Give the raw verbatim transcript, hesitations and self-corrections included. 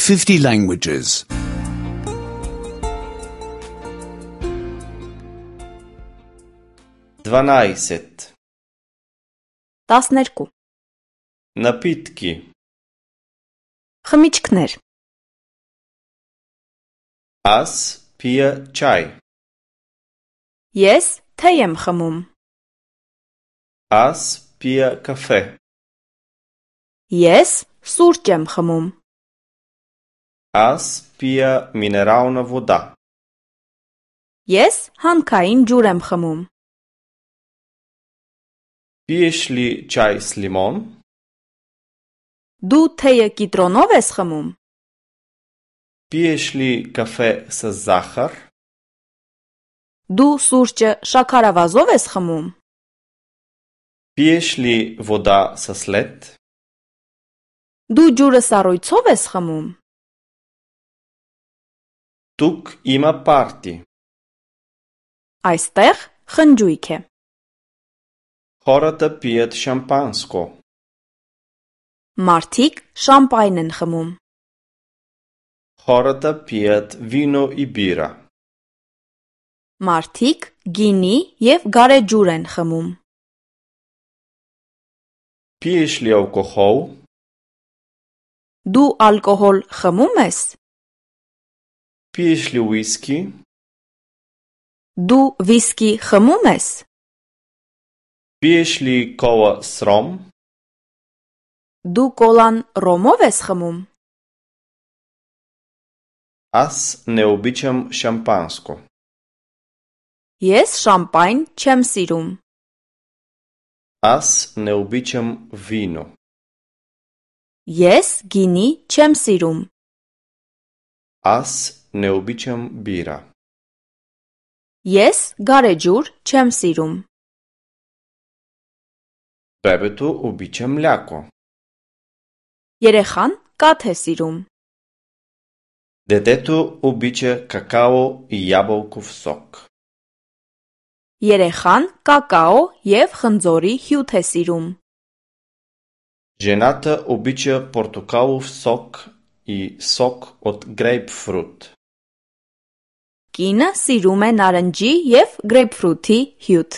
fifty languages. дванайсет. տասներկու Напитки. խմիչքներ Аз пия чай. ես թե եմ խմում Аз пия кафе. ես սուրճ եմ խմում Аз пия минерална вода. ես հանքային ջուր եմ խմում Пиеш ли чай с лимон? դու թեյը կիտրոնով ես խմում Пиеш ли кафе с захар? դու սուրճը շաքարավազով ես խմում Пиеш ли вода со след? դու ջուրը սառույցով ես խմում Тук има парти. այստեղ խնջույք է Хората пият шампанско. մարդիկ շամպայն են խմում Хората пият вино и бира. մարդիկ գինի և գարեջուր են խմում Пиеш ли алкохол? դու ալկոհոլ խմում ես Пиеш ли уиски? դու վիսկի խմում ես Пиеш ли кола с ром? դու կոլան ռոմով ես խմում Аз не обичам шампанско. ես շամպայն չեմ սիրում Аз не обичам вино. ես գինի չեմ սիրում Аз не обичам бира. ես գարեջուր չեմ սիրում Бебето обича мляко. երեխան կաթ է սիրում Детето обича какао и ябълков сок. երեխան կակաո և խնձորի հյութ է սիրում Жената обича портокалов сок и сок от грейпфрут. կինը սիրում է նարնջի և գրեյփֆրութի հյութ